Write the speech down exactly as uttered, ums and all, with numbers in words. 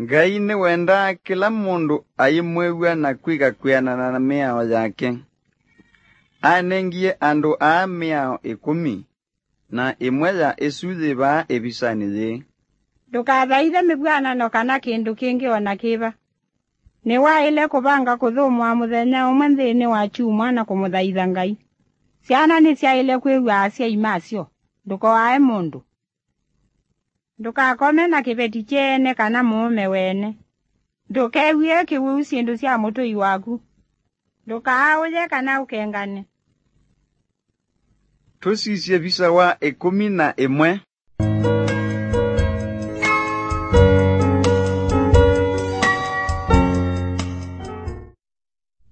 Ngai nĩwendaa kĩla mũndũ aimwĩw'a na kwĩka kwĩanana na mĩao yake. Anengie andũ aa mĩao ĩkũmi, na ĩmwe ya ĩsu yĩ vaa ĩvisanĩ yĩĩ. Ndũkathaithe mĩvw'anano kana kĩndũ kĩngĩ o na kĩva. Nĩwaĩle kũvanga kũthũmũa mũthenya ũmwe nthĩnĩ wa kyumwa na kũmũthaitha Ngai. Syana nĩsyaĩle kwĩw'a asyai masyo. Ndũkoae mũndũ. Ndũkakome na kĩveti kyeene kana mũũme weene. Ndũkew'ĩe kĩwĩu syĩndũ sya mũtũi waku. Ndũkaaũye kana ũkengane. Tũsisye visa wa ĩkũmi na ĩmwe.